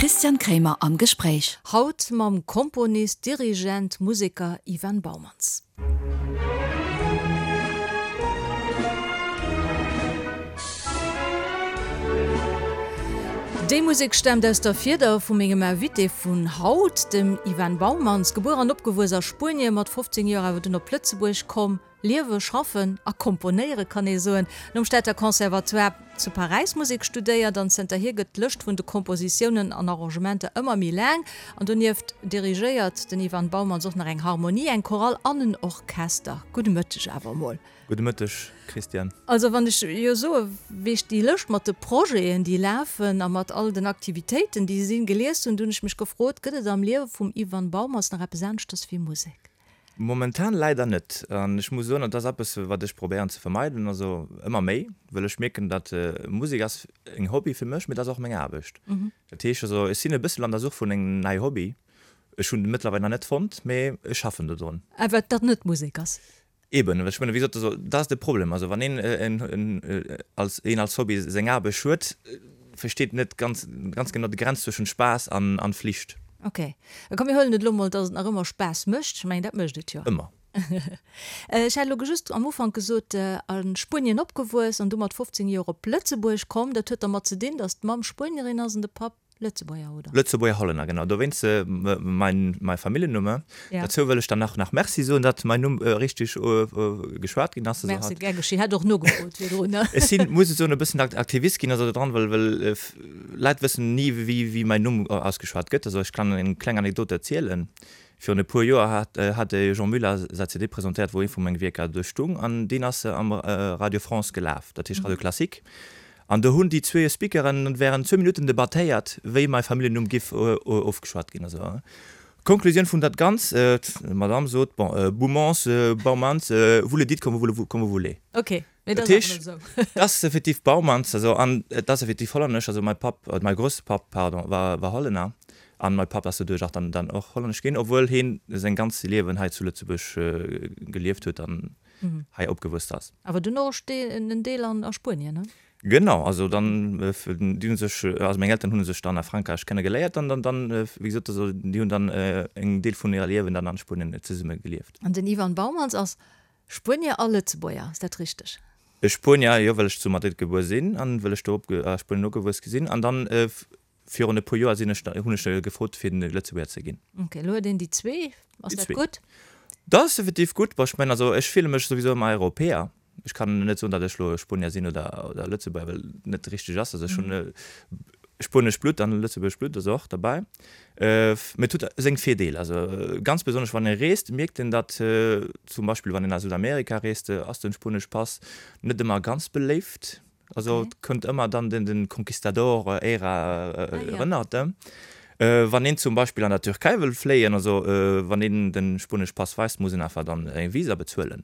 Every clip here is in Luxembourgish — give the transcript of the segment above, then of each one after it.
Christian Kremer am Gespréich. Haut mam Komponist, Dirigent, Museker Ivan Baumanns. Déi Musek staamt aus der Fieder vu mengem Invité vun haut, dem Ivan Baumanns, gebuer an opgewuess a Spuenien, mat 15 Joer awer dunn op Lëtzebuerg komm. Liewe, schaffen a komponéiere kann ee soen. Nom Stater Conservatoire zu Paräis Musek studéiert an zënterhier gëtt d'Lëscht vun de Kompositiounen an Arrangementer ëmmer méi laang. An donieft dirigéiert den Ivan Baumanns och nach eng Harmonie, eng Chorale an en Orchester. Gudde Mëtteg awer emol. Gudde Mëtteg, Christiane. Also wann ech jo soe wéi ech déi Lëscht mat de Projeten déi lafen a mat all den Aktivitéiten déi sinn gelies hunn, du hunn ech mech gefrot, gëtt et am Liewe vum Ivan Baumanns nach eppes aneschters wéi Musek? Momentan leider net. An ech muss soen, et ass eppes, wat ech probéieren ze vermeiden, also ëmmer méi, well ech mierken, datt Musek ass eng Hobby fir mech, mee et ass och meng Aarbecht. Dat heescht also, ech sinn e bëssel an der Such vun engem neie Hobby. Ech hunn en mëttlerweil nach net fonnt, mee ech schaffen dodrun. Awer dat net Musek ass? Eben, ech mengen, wéi gesot, also dat ass de Problem. Also wann een en als een als Hobby seng Aarbecht huet, versteet net ganz ganz genau d'Grenz zwëschen Spaass an an Flicht. Ok. Komm mir huelen et elo mol, dass et nach ëmmer Spaass mécht. Ech mengen, dat mécht et jo. Ëmmer. Ech hat elo just am Ufank gesot, a Spuenien opgewuess an du mat 15 Joer op Lëtzebuerg komm. Dat huet dermat ze dinn, dass d'Mamm Spuenierin ass an de Papp Lëtzebuerger, oder? Lëtzebuerger Hollänner, genau. Dowéinst mein, mein Familljennumme. Ja. Dozou wëll ech dann nach, nach Merci soen, datt mein Numm richteg geschwat ginn ass. Merci, gär geschehen. Hat och nogefrot virdrun, ne? Ech sinn, muss ech soen, e bëssen Aktivist ginn also dodran, well, well Leit wëssen ni, wéi, wéi mein Numm ausgeschwat gëtt. Also ech kann eng kleng Anekdot erzielen. Virun e puer Joer hat, hat de Jean Muller säi CD presentéiert, wou ee vu menge Wierker do stung, an deen ass am Radio France gelaf, dat heescht Radio Classique. An do hunn déi zwee Speakeren während zwou Minutten debattéiert, wéi mäi Familljennumm giff ofgeschwat ginn. Also, Konklusioun vun dat Ganz, d'Madame sot, bon, Boumans, Baumans, vous le dites comme vous, comme vous voulez. Ok, mee dat ass awer net esou. Dat ass effektiv Baumans, also, an et ass effektiv hollännesch, also mäi Papp, mäi Grousspapp, pardon, war, war Hollänner, an mäi Papp ass doduerch och dann, dann och hollännesch ginn, obwuel heen seng ganz Liewen hei zu Lëtzebuerg gelieft huet an hei opgewuess ass. Awer dunn och en Deel a Spuenien, ne? Genau, also dann, déi hu sech, also meng Elteren hu sech dann a Frankräich kenne geléiert an dann, dann, wéi gesot, also déi hunn dann en Deel vun hirer Liewen dann an Spuenien zesumme gelieft. An den Ivan Baumans ass Spuenier a Lëtzebuerger, ass dat richteg? Spuenier, jo, well ech zu Madrid gebuer sinn an well ech do a Spuenien opgewuess gi sinn an dann Virun e puer Joer sinn ech, hunn ech gefrot fir den Lëtzebuerger ze ginn. Ok, elo huet een déi zwee. Ass dat gutt? Dat ass effektiv gutt. Bon, ech mengen, also ech fille mech souwisou ëmmer Europäer. Ech kann net soen, datt ech elo Spuenier sinn oder, oder Lëtzebuerger, well et net richteg ass. Also ech hunn spuenescht Blutt an lëtzebuergescht Blutt ass och derbäi. Mee et huet seng Virdeeler. Also ganz besonnesch wann ee reest, mierkt een, datt zum Beispill wann een a Südamerika reest, ass den spuenesch Pass net ëmmer ganz beléift. Also et kënnt ëmmer dann den den Conquistador-Ära erënnert. Wann een zum Beispill an der Türkei wëll fléien, also wann een den spuenesch Pass weist, muss een einfach dann eng Visa bezuelen.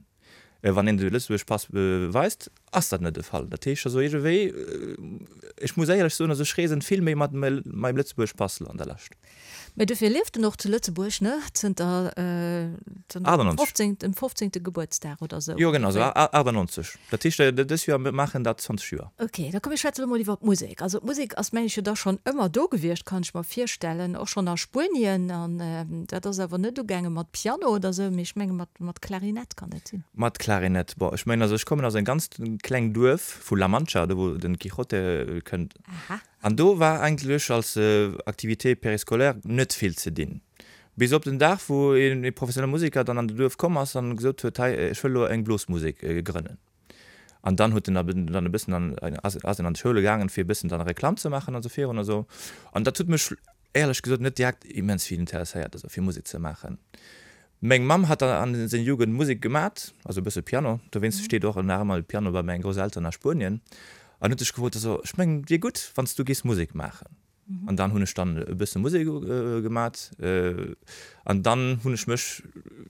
Wann een de lëtzebuergesch Pass weist, ass dat net de Fall. Dat heescht also iergendwéi, ech muss éierlech soen, also ech reesen vill méi mat meinem lëtzebuergesch Pass elo an der Lescht. Mä dofir lieft en och zu Lëtzebuerg, ne? Zënter 98. Dem 15. Gebuertsdag oder sou. Jo, genau, sou 98. Dat heescht, dës Joer maachen dat 20 Joer. Ok, da komm mir schwätze lo mol iwwer d'Musek. Also d'Musek ass, meng ech, jo da schonn ëmmer do gewiescht, kann ech mer virstellen, och schonn a Spuenien. An dat ass awer net ugaange mat Piano oder sou, mee ech menge mat, mat Klarinett, kann dat sinn? Mat Klarinett, bon, ech mengen, also ech kommen aus engem ganz kleng Duerf vu La Mancha, do wou den Quijote kënnt. Aha. An do war eigentlech als Activité périscolaire net vill ze dinn. Bis op den Dag, wou ee professionelle Museker dann an de Duerf komm ass an gesot huet, hei, ech wëll elo eng Blosmusek grënnen. An dann huet en dann e bëssen an, ass en an d'Schoule gaangen, fir e bëssen dann Reklamm ze maachen an esou virun a sou. An dat huet mech éierlech gesot net direkt immens vill interesséiert, also fir Musek ze maachen. Meng Mamm hat an seng Jugend Musek gemat, also e bësse Piano, dowéinst steet och nach ëmmer e Piano bei menge Grousselteren a Spuenien, an huet sech gefrot, also ech mengen et wier gutt, wann s du géifs Musek maachen. An dann hunn ech dann e bësse Musek gemat an dann hunn ech mech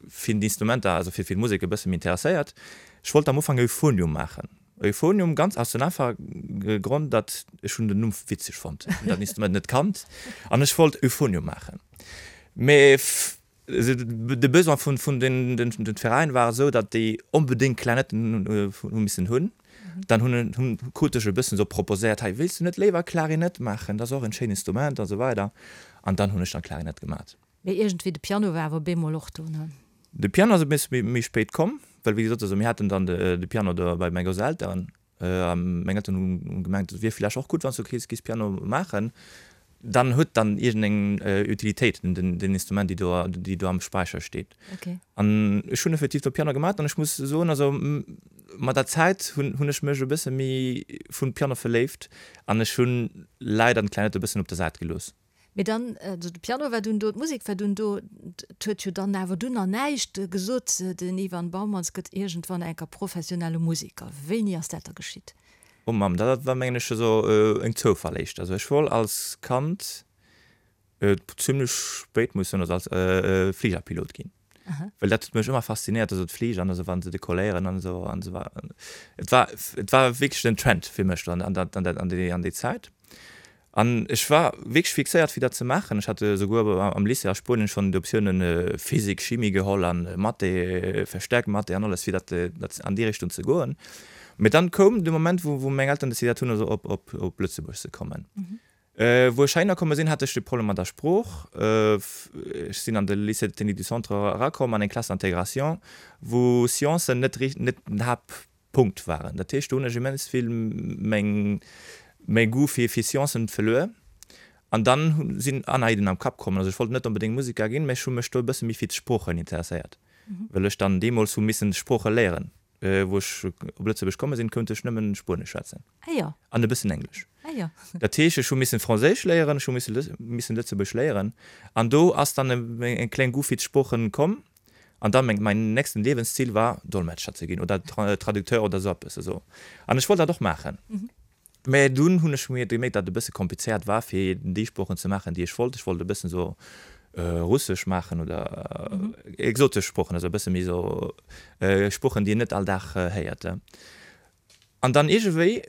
fir d'Instrumenter, also fir d'Musek e bësse méi interesséiert. Ech wollt am Ufank Euphonium maachen, Euphonium ganz aus dem einfache Grond, datt ech hunn den Numm witzeg fonnt, ech hunn dat Instrument net kannt an ech wollt Euphonium maachen. Mee De Besoin vun den Veräin war esou, datt déi onbedéngt Klarinetten hu missen hunn. Dann hunn hunn krut ech e bëssen esou proposéiert, hei wéilst du net léiwer Klarinett maachen, dat ass och en schéin Instrument an esou weider. An dann hunn ech dann Klarinett gemat. Mee iergendwéi de Piano war awer bemol och do, ne? De Piano ass e bësse méi spéit komm, well wéi gesot, also mir haten dann de Piano do bei meng Grousselteren a meng Elteren hu gemengt, et wier vläicht och gutt, wann s du kéis giss Piano maachen. Dann huet dann iergendeng Utilitéit den Instrument, déi do déi do am Späicher steet. An ech hunn effektiv do Piano gemat an ech muss soen, also mat der Zäit hunn hunn ech mech e bësse méi vun Piano verléift an ech hunn leider den Klarinett e bëssen op der Säit gelooss. Mee dann, also de Piano war dunn do, d'Musek war dunn do, et huet jo dann awer dunn nach näischt gesot, den Ivan Baumanns gëtt iergendwann enker professionelle Museker. Wéini ass dat da geschitt? Oh Mamm, dat war mengen ech esou en Zoufall éischter. Also ech wollt als Kand, zimmlech spéit muss ech soen, also als Fligerpilot ginn. Well dat huet mech ëmmer faszinéiert, also d'Fliger an esou, wa se dekolléieren an esou an esou weider. Et war, et war wierklech den Trend fir mech an an an déi an déi Zäit. An ech war wierklech fixéiert fir dat ze maachen. Ech hat esouguer am Lycée a Spuenien schonn d'Optiounen Physik, Chimie geholl an Mathé, verstärkt Mathé an alles fir dat dat an déi Richtung ze goen. Mee dann koum de Moment wou wou meng Elteren decidéiert hunn also op op op Lëtzebuerg ze kommen. Wou ech heihinner komme sinn, hat ech de Problem mat der Sprooch. Ech sinn an de Lycée technique du Centre erakomm, an eng Classe d'intégration, wou Sciencen net net den Haaptpunkt waren. Dat heescht, do hunn ech immens vill meng mäi Goût fir fir Sciencen verluer. An dann sinn aner Ideen am Kapp kommen. Also ech wollt net onbedéngt Museker ginn, mä ech hu mech do e bësse méi fir d'Sproochen interesséiert, well ech dann deemools hu missen Sprooche léieren. Wou ech op Lëtzebuerg komme sinn, kount ech nëmmen Spuenesch schwätzen. Ah jo. An e bëssen Englesch. Ah jo. Dat heescht, ech hu missen Franséisch léieren, ech hu misse missen Lëtzebuerg léieren. An do ass dann e kleng Goût fir d'Sproochen komm. An dann meng, mäin nächsten Liewenszil war, Dolmetscher ze ginn oder Traducteur oder esou eppes esou. An ech wollt dat och maachen. Mä dunn hunn ech mir gemierkt, datt et e bësse komplizéiert war, fir déi Sproochen ze maachen, déi ech wollt. Ech wollt e bëssen esou Russesch maachen oder exotesch Sproochen, also e bësse méi esou Sproochen, déi een net all Dag héiert. An dann iergendwéi,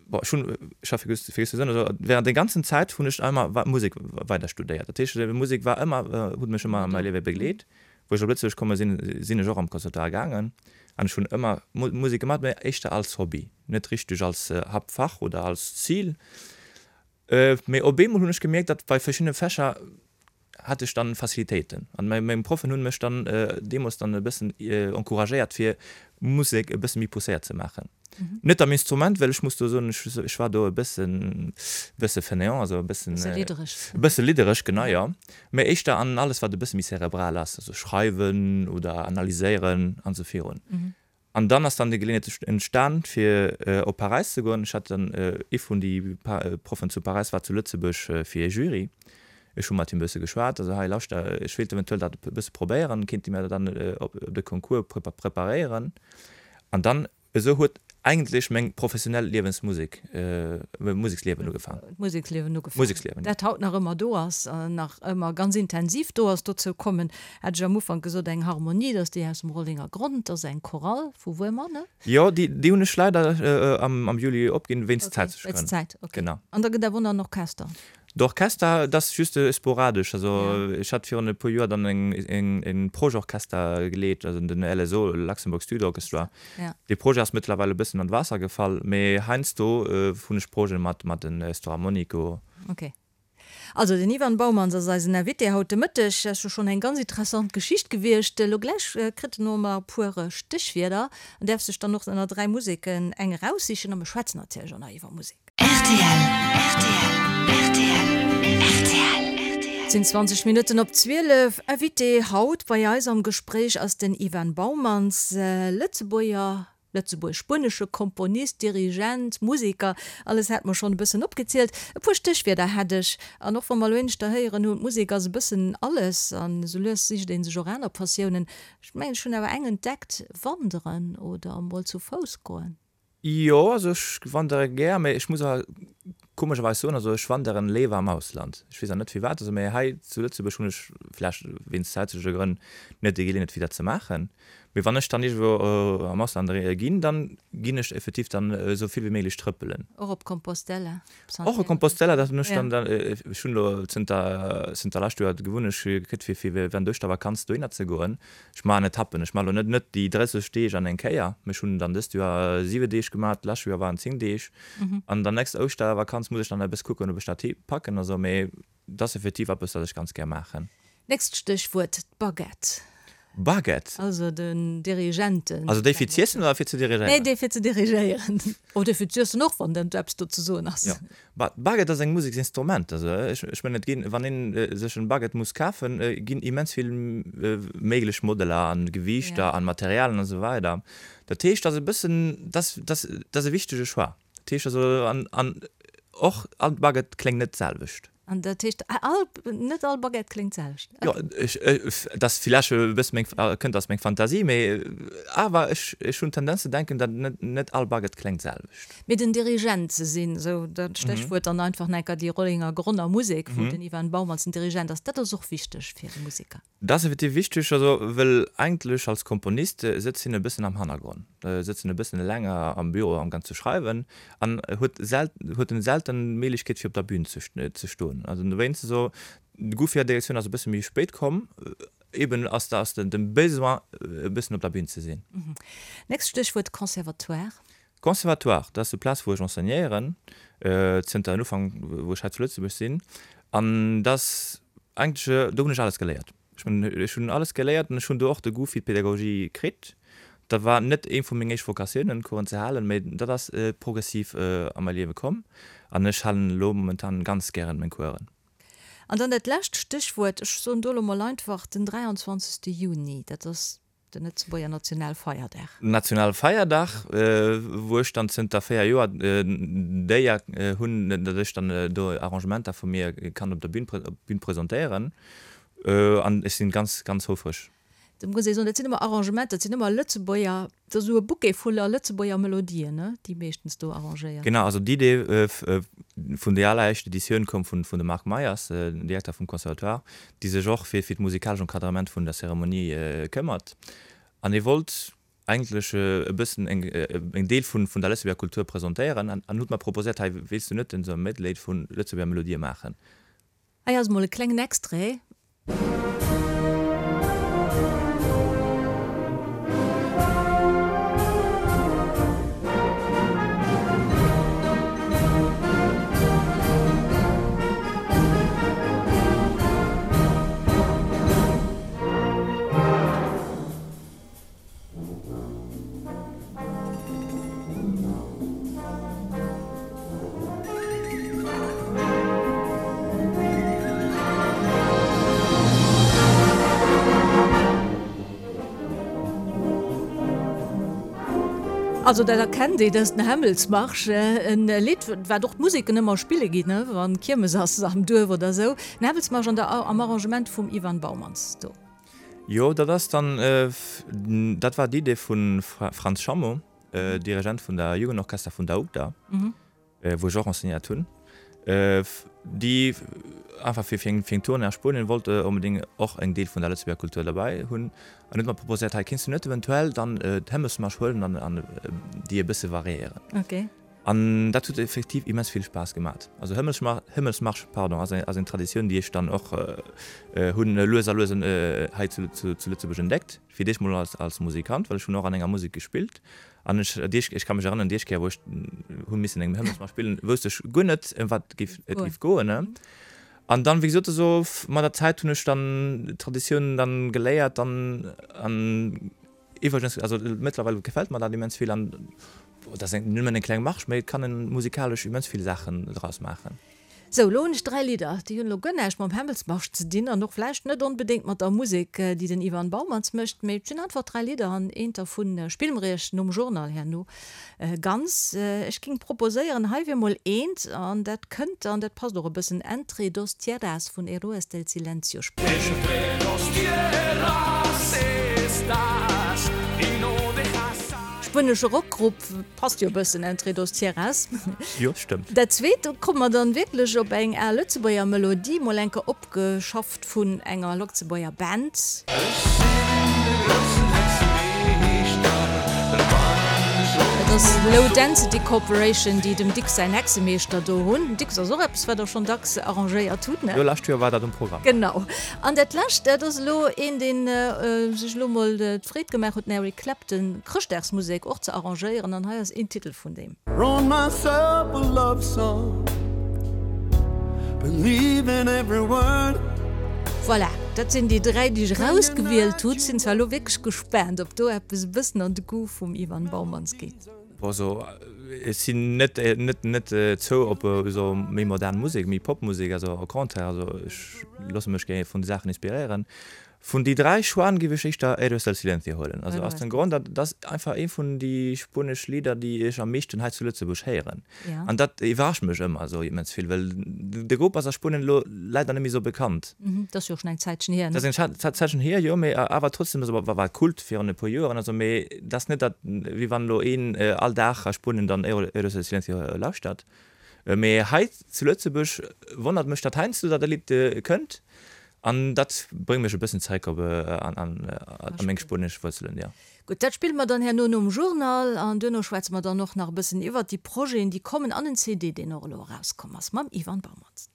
bon, ech hunn, ech ha vergiess ze soen, also während der ganzen Zäit hunn ech ëmmer Musek weider studéiert. Dat heescht, Musek war ëmmer, huet mech ëmmer a mäi Liewe begleet. Wou ech op Lëtzebuerg komme sinn, sinn ech och am Conservatoire gaangen an ech hunn ëmmer Musek gemaach, mä éischter als Hobby, net richteg als Haaptfach oder als Zil. Mee op eemol hunn ech gemierkt, datt bei verschiddene Fächer hat ech dann Facilitéiten an meng Proffen hunn mech dann deemools dann e bëssen encouragéiert fir Musek e bësse méi pousséiert ze maachen. Net am Instrument, well ech muss do soen, ech war do e bëssen, bësse fainéant, also e bëssen. Bësse liddereg. E bësse liddereg, genau, jo. Mä éischter an alles, wat e bësse méi cerebral ass, also schreiwen oder analyséieren an esou virun. An dann ass dann déi Geleeënheet entstan, fir op Paräis ze goen. Ech hat dann, ee vun déi Proffen zu Paräis war zu Lëtzebuerg fir ee Jury. Ech hu mat him e bësse geschwat, also hei lauschter, ech wéilt eventuell dat e bësse probéieren, kéint Dir mir dann op de Concours preparéieren? An dann esou huet eigentlech meng professionell Liewensmusek, Museksliewen ugefaangen. D'Museksliewen ugefaangen. Museksliewen, jo. Dat haut nach ëmmer do ass an nach ëmmer ganz intensiv do ass. Dozou kommen, hat ech am Ufank gesot, eng Harmonie, dat ass déi aus dem Rollenger Grond, dat ass eng Chorale vu Wuermer, ne? Jo, déi, déi hunn ech leider am, am Juli opginn, wéinst zäitleche Grënn. Wéinst Zäit, okay. Genau. An da gëtt awer och nach en Orchester. D'Orchester, dat ass just sporadesch. Also ech hat virun e puer Joer dann en Projetorchester geleet, also den LSO, Luxembourg Studio Orchestra. Dee Projet ass mëttlerweil e bëssen an d'Waasser gefall, mee heiansdo hunn ech Projete mat mat den Storharmonico. Ok. Also den Ivan Baumanns ass eisen Invité haut de Mëtteg. Dat ass jo schonn eng ganz interessant Geschicht gewiescht. Elo gläich kritt en och nach e puer Stéchwierder an däerf sech dann och ënner 3 Museken eng eraussichen. A mir schwätzen natierlech och nach iwwer Musek. Rtl, rtl, rtl, rtl. Et sinn 20 Minutten op 12. Invité haut bei eis am Gespréich ass den Ivan Baumanns, Lëtzebuerger, lëtzebuerg-spuenesche Komponist, Dirigent, Museker, alles hat mer schonn e bëssen opgezielt. E puer Stéchwierder hätt ech. An och wa mer elo éineschter héieren hunn, d'Musek ass e bëssen alles an esou lues sicht ee sech och aner Passiounen. Ech mengen, ech hunn awer eng entdeckt, Wanderen oder emol zu Fouss goen. Jo, also ech wandere gär, mee ech muss awer komescherweis soen, also ech wanderen léiwer am Ausland. Ech weess awer net firwat, also mee hei zu Lëtzebuerg hunn ech, vläicht wéinst zäitleche Grënn, net déi Geleeënheet fir dat ze maachen. Mee wann ech dann iergendwou am Ausland ginn, dann ginn ech effektiv dann esou vill wéi méiglech trëppelen. Och op Compostela? Och op Compostela, dat hunn ech dann, ech hunn elo zënter, zënter lescht Joer d'Gewunnecht kritt fir, fir während d'Ouschtervakanz dohinner ze goen. Ech maachen Etappen, ech maachen elo net, net déi 30 Deeg an eng Kéier, mee ech hunn dann dëst Joer 7 Deeg gemaach, d'lescht Joer waren 10 Deeg an der nächster Ouschtervakanz muss ech dann e bësse kucken, ob ech dat packen a sou, mee dat ass effektiv eppes, wat ech ganz gär maachen. Nächst Stéchwuert, d'Baguette. Baguette? Also den Dirigenten. Also déi fir z'iessen oder fir ze dirigéieren? Nee, déi fir ze dirigéieren. Oh, déi fir z'iessen och, wann dat eppes do ze soen ass. Jo. D'Baguette ass eng Museksinstrument. Also ech mengen, et ginn, wann een sech en Baguette muss kafen, ginn immens vill méiglech Modeller an Gewiichter an Materialen an esou weider. Dat heescht, dat ass e bëssen, dat ass, dat ass e wichtege Choix. Dat heescht also, an, an och all Baguette kléngt net d'selwecht. An dat heescht, all, net all Baguette kléngt d'selwecht? Jo, ech, dat ass villäicht e bësse meng, kënnt aus meng Fantasie, mee awer ech, ech hunn d'Tendenz ze denken, datt net, net all Baguette kléngt d'selwecht. Mee den Dirigent ze sinn, esou dat Stéchwuert dann einfach nach enker déi Rollinger Gronner Musek, wou den Ivan Baumanns den Dirigent ass, dat ass och wichteg fir e Museker. Dat ass effektiv wichteg, also well eigentlech als Komponist sëtzt hien e bëssen am Hannergronn, sëtzt en e bëssen eleng am Büro amgaang ze schreiwen an huet huet en selten d'Méiglechkeet fir op der Bühn ze ze stoen. Also dowéinst esou, de Goût fir Direktioun ass e bësse méi spéit komm, eben ass da ass de Besoin e bëssen op der Bühn ze sinn. Nächst Stéchwuert, Conservatoire. Conservatoire, dat ass déi Plaz wou ech enseignéieren, zënter den Ufank wou ech hei zu Lëtzebuerg sinn. An dat ass eigentlech, do hunn ech alles geléiert. Ech mengen, ech hunn alles geléiert an ech hunn do och de Goût fir d'Pedagogie kritt. Dat war net ee vu meng éischt Vokatiounen, Coursen ze halen, mä dat ass progressiv a mäi Liewe komm an ech halen elo momentan ganz gären meng Coursen. An dann dat lescht Stéchwuert, ech soen do elo mol einfach den 23. Juni, dat ass Den Lëtzebuerger Nationalfeierdag. Nationalfeierdag, wou ech dann zënter 4 Joer d'Éier hunn, datt ech dann do Arrangementer vu mir kann op der Bühn Bühn presentéieren. An ech sinn ganz, ganz houfreg. Da muss ee soen, dat sinn ëmmer Arrangementer, dat sinn ëmmer Lëtzebuerger, dat ass esou e Bouquet voller Lëtzebuerger Melodien, ne, déi meeschtens do arrangéiert. Genau, also d'Idee vun déi alleréischt Editioun koum vun dem Marc Meyers, den Direkter vum Conservatoire, déi sech och fir fir d'musikalesch Encadrement vun der Zeremonie këmmert. An hie wollt eigentlech e bëssen eng eng Deel vun vun der Lëtzebuerger Kultur presentéieren an an huet mer proposéiert, hei wéilst du net esou e Medley vu Lëtzebuerger Melodië maachen? Hei ass mol e klengen Extrait. Also dat erkennt ee, dat ass den Hämmelsmarsch, en Lidd wat och d'Museken ëmmer spille ginn, wann Kiermes ass am Duerf oder esou. Den Hämmelsmarsch an der am Arrangement vum Ivan Baumans do. Jo, dat ass dann, dat war d'Idee vum Frantz Schammo, Dirigent vun der Jugendorchester vun der UGDA, wou ech och enseignéiert hunn, déi einfach fir fir eng Tournée a Spuenien wollt onbedéngt och eng Deel vun der Lëtzebuerger Kultur derbäi hunn an huet mer proposéiert, hei kinns du net eventuell dann d'Hämmelsmarsch huelen an an déi e bësse variéieren. An dat huet effektiv immens vill Spaass gemat. Also Hëmmelsmarsch, pardon, ass eng Traditioun, déi ech dann och hunn lues a lues hei zu Lëtzebuerg entdeckt. Fir d'éischt mol als Musikant, well ech hunn och an enger Musek gespillt. An ech, ech ka mech erënneren, déi éischt Kéier, wou ech hu missen eng Hëmmelsmarsch spillen, wousst ech guer net, ëm wat et géif goen. An dann, wéi gesot, esou mat der Zäit hunn ech dann d'Traditiounen dann geléiert an an Iwwregens, also mëttlerweil gefält mer dat immens vill an dat ass nëmmen eng kleng March, mee et kann en musikalesch immens vill Saachen draus maachen. Sou, elo hunn ech 3 Lidder, déi hunn elo guer näischt mam Hämmelsmarsch ze dinn an och vläicht net onbedéngt mat der Musek, déi den Ivan Baumans mécht, mee et sinn einfach 3 Lidder an eent dervu spille mer iech nom Journal herno ganz. Ech géing proposéieren, hei wier mol eent an dat kënnt an dat passt och e bëssen, Entre dos tierras vun Héroes del Silencio. Spuenesche Rockgrupp, passt jo e bëssen, Entre dos tierras. Jo, stëmmt. Dat zweet, do komme mer dann wierklech op eng al Lëtzebuerger Melodie, mol enker opgeschafft vun enger Lëtzebuerger Band. ass Low Density Corporation, déi dem Dicks säin Hexemeeschter do hunn. Dicks ass och eppes, wat der schonn dacks arrangéiert hutt, ne? Jo, lescht Joer war dat um Programm. Genau. An dat lescht, dat ass elo een, dee sech elo mol d'Freed gemaach huet, den Eric Clapton Chrëschtdagsmusek och ze arrangéieren. An hei ass een Titel vun deem. Wrote myself a love song, believing every word. Voilà, dat sinn déi 3, déi ech erausgewielt hunn. Sinn zwar elo wierklech gespaant, ob do eppes e bëssen an de Goût vum Ivan Baumans geet. Bon, also ech sinn net net net zou op esou méi modern Musek, méi Popmusek, also au contraire, also ech loosse mech gär vun de Saachen inspiréieren. Vun déi 3 Choixen giff ech éischter Héroes del Silencio huelen. Also aus dem Grond, dat ass einfach ee vun déi spuenesch Lidder déi ech am meeschten hei zu Lëtzebuerg héieren. An dat iwwerrascht mech ëmmer esou immens vill, well de Grupp ass a Spuenien elo leider net méi esou bekannt. Dat ass jo och schonn eng Zäitchen hier, ne? Dat ass eng Zäitchen hier, jo, mee awer trotzdem, also war Kult virun e puer Joeren, also mee dat ass net dat, wéi wann elo een all Dag a Spuenien dann Héroes del Silencio lauschtert. Mee hei zu Lëtzebuerg wonnert mech dat heiansdo, datt e Lidd kënnt An dat bréngt mech e bëssen zeréck op an meng spuenesch Wuerzelen, jo. Gutt, dat spille mer dann herno nom Journal an duerno schwätze mer dann och nach e bëssen iwwert déi Projeten, déi kommen an en CD, deen och elo erauskomm ass mam Ivan Baumanns.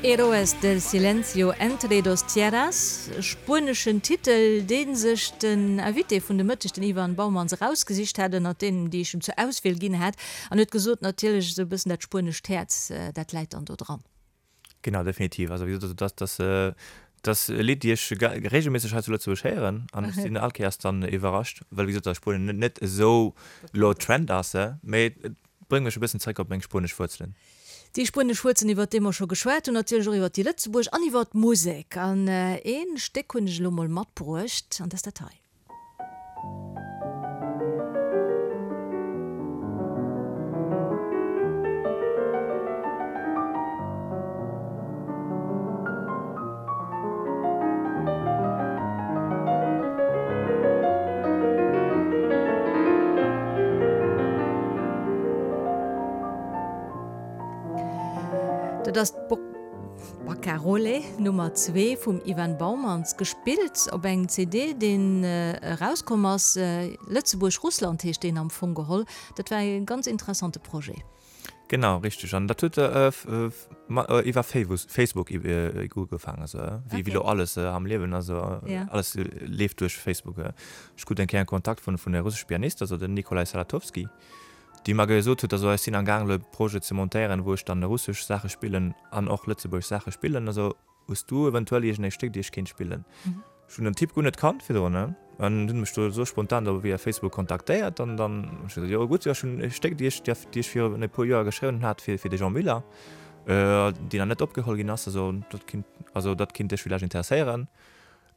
Héroes del silencio entre dos tierras, spueneschen Titel, dee sech den Invité vun de Mëtteg, den Ivan Baumanns, erausgesicht hat ënnert deenen, déi ech em zur Auswiel ginn hat. An huet gesot, natierlech esou e bëssen dat spuenescht Häerz, dat läit dann do dran. Genau, definitiv. Also wéi gesot, dat ass, dat ass e Lidd, déi ech reegelméisseg hei zu Lëtzebuerg héieren an ech sinn all Kéiers dann iwwerrascht, well wéi gesot, a Spuenien net, net esou elo Trend ass, mee et bréngt mech e bëssen zeréck op meng spuenesch Wuerzelen. Déi spuenesch Wuerzelen, iwwert déi mer scho geschwat hunn, natierlech och iwwert déi Lëtzebuerg an iwwert d'Musek. An ee Stéck hunn ech elo mol matbruecht, an dat ass dat hei. Dat ass d'Bo. Barcarole Nummer 2 vum Ivan Baumans, gespillt op engem CD deen erauskomm ass, Lëtzebuerg-Russland heescht deen am Fong geholl. Dat war e ganz interessante Projet. Genau, richteg. An dat huet iwwer Facebook ugefaangen, also wéi elo alles am Liewen, also alles leeft duerch Facebook. Ech krut eng Kéier en Kontakt vun e russesche Pianist, also den Nikolai Salatowski. déi mer gesot huet, also ech sinn am gaang elo e Projet ze montéieren, wou ech dann russesch Saache spillen an och lëtzebuergesch Saache spillen, also hues du eventuell iergend ee Stéck déi ech kéint spillen? Ech hunn den Typ guer net kannt virdrun, ne, an hunn mech do esou spontan do via Facebook kontaktéiert an dann hunn ech gesot, jo gutt, jo ech hunn e Stéck déi ech déi ech virun e puer Joer geschriwwen hat fir fir de Jean Müller, déi nach net opgeholl ginn ass, also dat kinnt also dat kinnt dech villäicht interesséieren.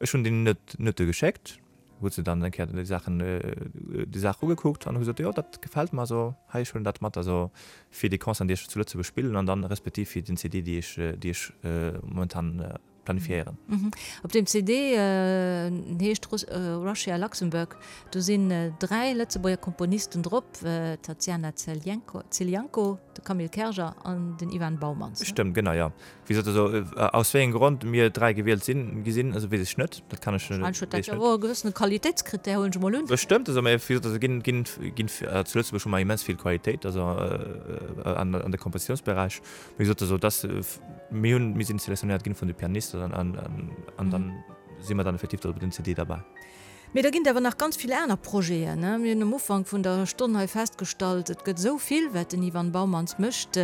Ech hunn deenen d'Noute geschéckt, hu se dann eng Kéier déi Saachen, déi Saach ugekuckt an hu gesot, jo dat gefält mer, also hei ech huelen dat mat, also fir déi Concerten déi ech zu Lëtzebuerg spillen an dann respektiv fir den CD déi ech, déi ech momentan planifiéieren. Op deem CD, en heescht Russia Luxembourg, do sinn 3 Lëtzebuerger Komponisten drop, d'Tatiana Zelianko, de Camille Kerger an den Ivan Baumans. Stëmmt, genau, jo. Wéi gesot, also aus wéi engem Grond mir 3 gewielt sinn, gi sinn, also weess ech net. Dat kann ech. Wahrscheinlech huet dat jo och e gewëssene Qualitéitskrittär, huelen ech emol un. Bestëmmt, also mä wéi gesot, also ginn, ginn, ginn zu Lëtzebuerg hu mer immens vill Qualitéit, also an, an de Kompositiounsberäich. Wéi gesot, also dass mir hunn, mir sinn selektionéiert ginn vun de Pianisten an, an, an dann si mer dann effektiv do op dem CD derbäi. Mee da ginn et awer nach ganz vill aner Projeten. Mir hunn um Ufank vun der Stonn hei festgestallt, et gëtt esou vill, wat den Ivan Baumans mécht,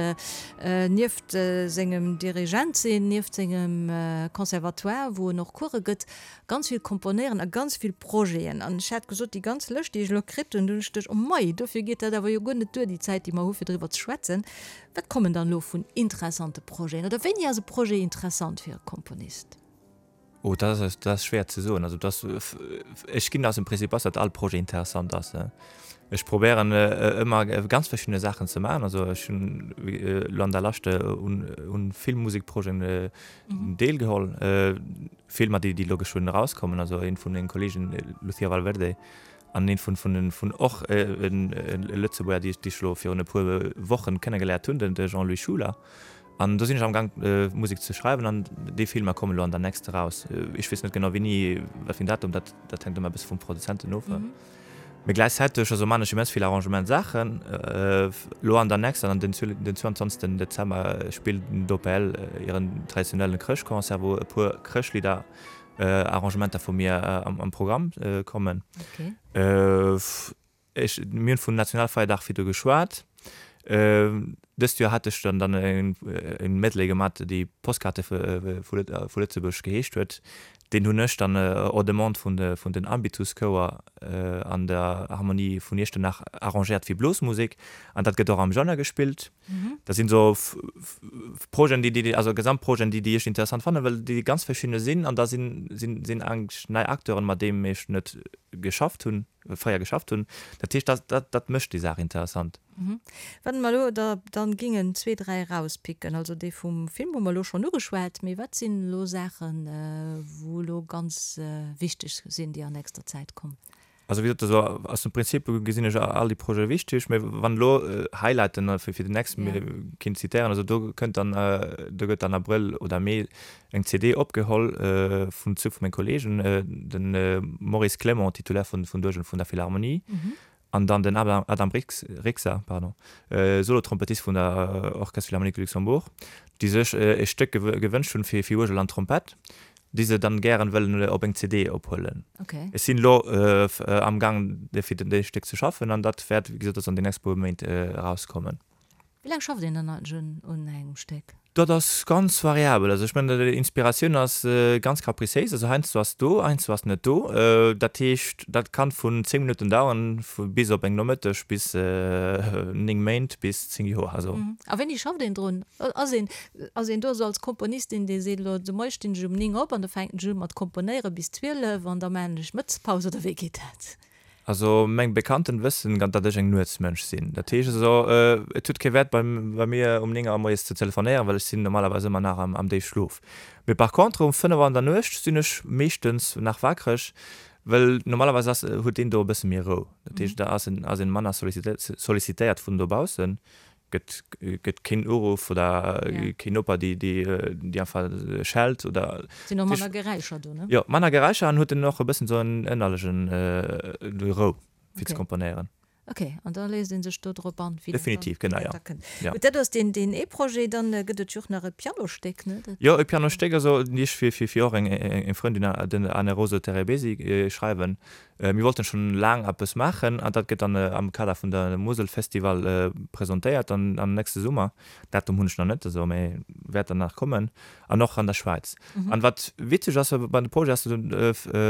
nieft sengem Dirigent sinn, nieft sengem Conservatoire, wou en och Course gëtt, ganz vill komponéieren a ganz vill Projeten. An ech hat gesot, déi ganz Lëscht, déi ech elo kritt hunn, do hunn ech geduecht, oh mei, dofir geet dat awer jo guer net duer, déi Zäit, déi mer hu fir driwwer ze schwätzen. Wat kommen dann elo vun interessante Projeten? Oder wéini ass e Projet interessant fir e Komponist? Oh, dat ass, dat ass schwéier ze soen. Also dat ass, ech ginn aus dem Prinzip aus, datt all Projet interessant ass. Ech probéieren ëmmer ganz verschidde Saachen ze maachen. Also ech hunn elo an der Lescht un, un vill Musekprojeten deelgeholl. Filmer, déi, déi elo geschwënn erauskommen. Also een vun menge Kollegen, Lucía Valverde, an een vun, vun, vun och e Lëtzebuerger, déi ech, déi ech elo virun e puer Wochen kennegeléiert hunn, den de Jean-Louis Schuler. An do sinn ech am Gang Musek ze schreiwen an déi Filmer kommen elo an der nächst eraus. Ech weess net genau wéini, wat fir en Datum, dat dat hänkt ëmmer e bësse vum Produzenten of. Mee gläichzäiteg, also man ech immens vill Arrangement Saachen. Elo an der nächster, an den 22 Dezember spillt d'OPL hiren traditionellen Chrëschtconcert, wou e puer Chrëschtlidder Arrangementer vu mir am Programm kommen. Ech, mir hunn vun Nationalfeierdag virdu geschwat. Dëst Joer hat ech dann dann e Medley gemat, déi Postkarte vu Lëtzebuerg geheescht huet. Deen hunn ech dann hors demande vun vun den Ambitus Chouer an der Harmonie vun Iechternach arrangéiert fir Blosmusek an dat gëtt och am Januar gespillt. Dat sinn esou Projeten, déi déi also Gesamtprojeten, déi déi ech interessant fannen, well déi ganz verschidde sinn an da sinn sinn sinn eigentlech nei Acteuren, mat deem ech net geschafft hunn, fréier geschafft hunn. Dat heescht, dat dat dat mécht déi Saach interessant. Wann mer elo der dann gingen zwee, dräi erauspicken, also dee vum Film hu mer elo schonn ugeschwat, mee wat sinn elo Saachen, wou elo ganz wichteg sinn, déi an nächster Zäit kommen? Also wéi gesot, also aus dem Prinzip gesinn ech all déi Projete wichteg, mee wann elo Highlighten fir fir déi nächst kinnt zitéieren, also do kënnt dann, do gëtt dann Abrëll oder Mee eng CD opgeholl vun zwou vu menge Kollegen, de Maurice Clement, Titulaire vun vun d'Uergel vun der Philharmonie, An dann den Adam Rixa, pardon, Solo-Trompettist vun der Orchestre Philharmonique de Luxembourg, déi sech e Stéck gewënscht hunn fir Uergel an Trompett, déi se dann gären wëllen op eng CD ophuelen. Ech sinn elo am Gang fir dee Stéck ze schaffen an dat wäert, wéi gesot, an den nächste puer Méint erauskommen. Wéi laang schafft een dann eigentlech un engem Stéck? Dat ass ganz variabel. Also ech mengen, Inspiratioun ass ganz capriciéis. Also heiansdo ass do, heiansdo ass net do. Dat heescht, dat kann vun 10 Minutten daueren bis op eng Nomëtteg, bis 9 Méint, bis 10 Joer. Also. A wéini schafft een drun? Ass een, ass een do esou als Komponist een, dee seet, elo de Moie stinn ech um 9 op an da fänken ech u mat komponéieren bis 12 an da maachen ech Mëttespaus, oder wéi geet dat? Also meng Bekannten wëssen datt ech eng Nuetsmënsch sinn. Dat heescht also, et huet kee Wäert bei mir um 9 Auer moies ze telefonéieren, well ech sinn normalerweis ëmmer nach am Déifschlof. Mee par contre um 5 Auer an der Nuecht sinn ech meeschtens nach wakreg, well normalerweis ass huet een do e bësse méi Rou. Dat heescht da ass een ass een manner sollicitéiert vun dobaussen. Gëtt gëtt keen Uruff oder keen Noper déi déi déi einfach schellt oder. Sinn och manner Geräischer do, ne? Jo, manner Geräischer an huet en och e bëssen esou en ënnerlechen Rou fir ze komponéieren. Ok, an da léisst ee sech do drop an, wéi dat Definitiv, genau, jo. Da kënnt. Gutt, dat ass deen deen ee Projet. Dann gëtt et jo och nach e Pianostéck, ne? Dat. Jo, e Pianostéck, also déi ech fir fir fir och eng eng Frëndin, den Anne-Rose Terebesi, schreiwen. Mir wollten schon laang eppes maachen an dat gëtt dann am Kader vun der Musel Festival presentéiert dann am nächste Summer. Datum hunn ech nach net, also mee wäert dann nach kommen an och an der Schwäiz. An wat witzeg ass bei de Projet ass den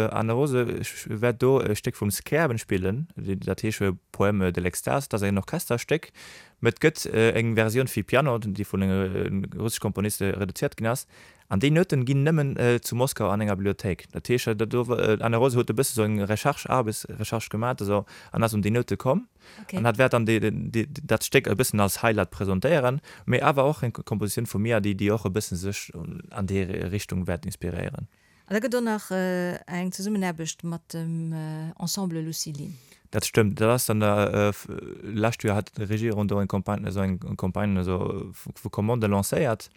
Anne Rose wäert do e Stéck vum Scherben spillen, dat heesch Poème de l'extase, dat ass en Orchesterstéck, mee et gëtt eng Versioun fir Piano, déi vun engem russesch Komponist reduziert ginn ass. An déi Nouten ginn nëmmen zu Moskau an enger Bibliothéik. Dat heescht, do, d'Anne Rose huet e bësse sou eng Recherche, Aarbechtsrecherche gemat esou, an ass un déi Noute komm. An hat wäert dann déi, déi, dat Stéck e bëssen als Highlight presentéieren, mee awer och eng Kompositioun vu mir, déi, déi och e bësse sech an déi Richtung wäert inspiréieren. An da gëtt och nach eng Zesummenaarbecht mat dem Ensemble Lucilin. Dat stëmmt. Dat ass dann lescht Joer hat d'Regierung do eng Campagne, esou eng Campagne esou vu Commandë lancéiert.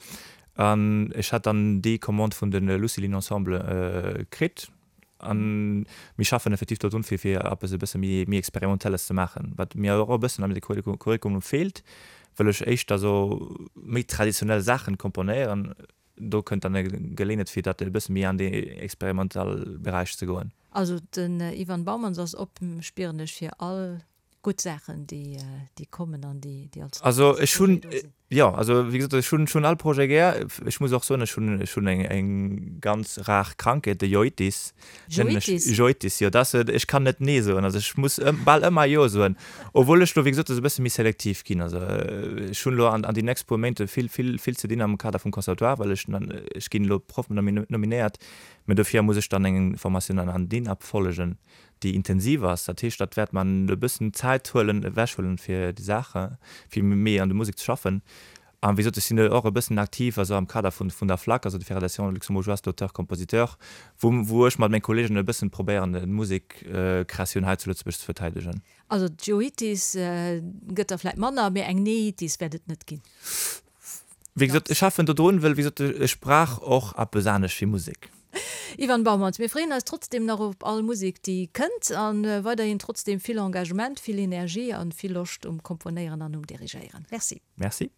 An ech hat dann déi Commande vun de Lucilin Ensemble kritt. An mir schaffen effektiv do drun, fir fir eppes e bësse méi méi Experimentelles ze maachen, wat mir och e bëssen am Curriculum feelt, wëll ech éischter esou méi traditionell Saachen komponéieren. Do kënnt dann e Geleeënheet, fir dat e bësse méi an dee experimentelle Beräich ze goen. Also den Ivan Baumans ass op, spieren ech, fir all gutt Saachen, déi déi kommen an déi déi als Also ech hunn, do sinn. jo, also wéi gesot, ech hunn ech hunn all Projet gär. Ech muss och soen, ech hunn ech hunn eng eng ganz rar Krankheet, de Joitis nennen ech. Joitis? Joitis, jo, dat ass, ech kann net Nee soen, also ech muss ëm bal ëmmer Jo soen, obwuel ech lo wéi gesot e bësse méi selektiv ginn. Also ech hunn elo an an déi nächst puer Méint vill vill vill ze dinn am Kader vum Conservatoire, well ech ech ginn elo Proff nominéiert, mä dofir muss ech dann eng Formatioun an an DINAP follegen. déi intensiv ass. Dat heescht, dat wäert mer e bëssen Zäit huelen, ewechhuelen fir déi Saache, fir méi an der Musek ze schaffen. An wéi gesot, ech sinn och e bëssen aktiv, also am Kader vun vun der FLAC, also der Fédération Luxembourgeoise d'Auteurs Compositeurs, wou wou ech mat menge Kollegen e bëssen probéieren, d'Musekkreatioun hei zu Lëtzebuerg ze verteidegen. Also d'Joitis gëtt der vläit manner, mee eng Neitis wäert et net ginn. Wéi gesot, ech schaffen dodrun, well wéi gesot, ech brauch och eppes anescht wéi Musek. Ivan Baumanns, mir freeën eis trotzdem nach op all Musek déi kënnt an weiderhin trotzdem vill Engagement, vill Energie an vill Loscht um Komponéieren an um Dirigéieren. Merci. Merci.